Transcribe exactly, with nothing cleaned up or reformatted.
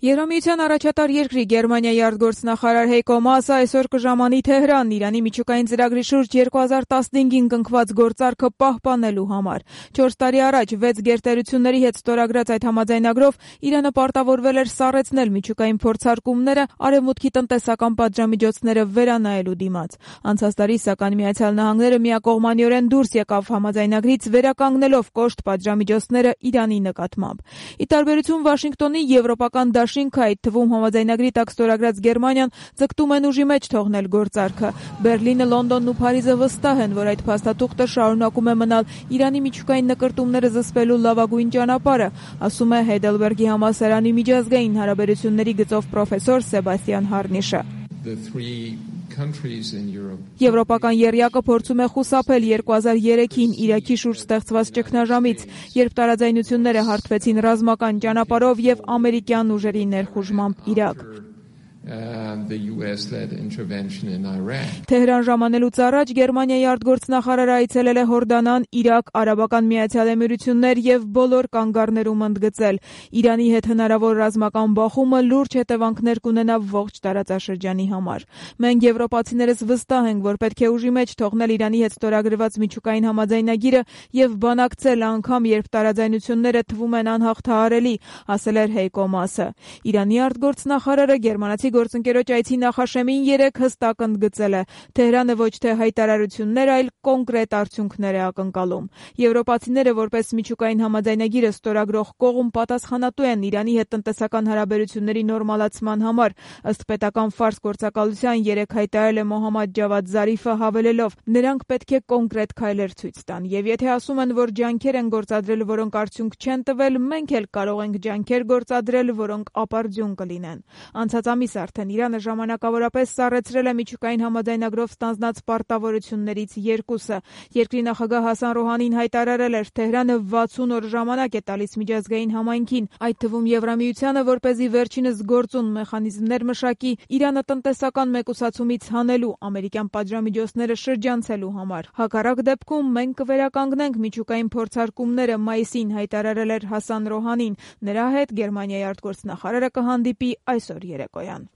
Եվրամիության առաջատար երկրի Գերմանիայի արտգործնախարար Հեյկո Մասը այսօր կժամանի Թեհրան Իրանի միջուկային ծրագրի շուրջ երկու հազար տասնհինգին կնքված գործարքը պահպանելու համար։ Չորս տարի առաջ վեց գերտերությունների հետ ստորագրած այդ համաձայնագրով Իրանը պարտավորվել էր սառեցնել միջուկային փորձարկումները Արևմուտքի տնտեսական պատժամիջոցները վերանայելու դիմաց։ Անցած տարի սակայն Միացյալ Նահանգները միակողմանիորեն դուրս եկավ համաձայնագրից, վերականգնելով կոշտ պատժամիջոցները Իրանի նկատմամբ։ Ի տարբերություն Վաշինգտոնի, եվրոպական դաշինքը, այդ թվում համաձայնագրի տակ ստորագրած Գերմանիան, ձգտում են ուժի մեջ թողնել գործարքը։ Բերլինը, Լոնդոնն ու Փարիզը վստահ են, որ այդ փաստաթուղթը շարունակում է մնալ Իրանի միջուկային նկրտումները զսպելու լավագույն ճանապարհը, ասում է Heidelberg-ի համալսարանի միջազգային հարաբերությունների գծով պրոֆեսոր Սեբաստիան Հարնիշը։ Եվրոպական եռյակը փորձում է խուսափել երկու հազար երեքին Իրաքի շուրջ ստեղծված ճգնաժամից, երբ տարաձայնությունները հարթվեցին ռազմական ճանապարհով եւ ամերիկյան ուժերի ներխուժմամբ Իրաք։ Թեհրան ժամանելուց առաջ Գերմանիայի արտգործնախարարը այցելել է Հորդանան, Իրաք, Արաբական Միացյալ Էմիրություններ եւ բոլոր կանգառներում ընդգծել. Իրանի հետ հնարավոր ռազմական բախումը լուրջ հետևանքներ կունենա ողջ տարածաշրջանի համար։ Մենք եվրոպացիներս վստահ ենք, որ պետք է ուժի մեջ թողնել Իրանի հետ ստորագրված միջուկային համաձայնագիրը եւ բանակցել անգամ, երբ տարաձայնությունները թվում են անհաղթահարելի, ասել էր Հեյկո Մասը։ Իրանի արտգործնախարարը գերմանացի գործընկերոջ այցի նախաշեմին երեկ հստակ ընդգծել է. Թեհրանը ոչ թե հայտարարություններ, այլ կոնկրետ արդյունքներ է ակնկալում։ Եվրոպացիները որպես միջուկային համաձայնագիրը ստորագրող կողմ պատասխանատու են Իրանի հետ տնտեսական հարաբերությունների նորմալացման համար, ըստ պետական ֆարս գործակալության երեկ հայտարարել է Մոհամմադ Ջավադ Զարիֆը, հավելելով. նրանք պետք է կոնկրետ քայլեր ցույց տան, եւ եթե ասում են, որ ջանքեր են գործադրել, որոնք արդյունք չեն տվել, մենք էլ կարող ենք ջանքեր գործադրել, որոնք ապարդյուն կլինեն։ Անցած ամիս արդեն Իրանը ժամանակավորապես սառեցրել է միջուկային համաձայնագրով ստանձնած պարտավորություններից երկուսը։ Երկրի նախագահ Հասան Ռոհանին հայտարարել էր, Թեհրանը վաթսուն օր ժամանակ է տալիս միջազգային համայնքին, այդ թվում Եվրամիությանը, որպեսզի վերջինս գործուն մեխանիզմներ մշակի Իրանը տնտեսական մեկուսացումից հանելու, ամերիկյան պատժամիջոցները շրջանցելու համար։ Հակառակ դեպքում մենք կվերականգնենք միջուկային փորձարկումները, մայիսին հայտարարել էր Հասան Ռոհանին։ Նրա հետ Գերմանիայի արտգործնախարարը կհանդիպի այսօր երեկոյան։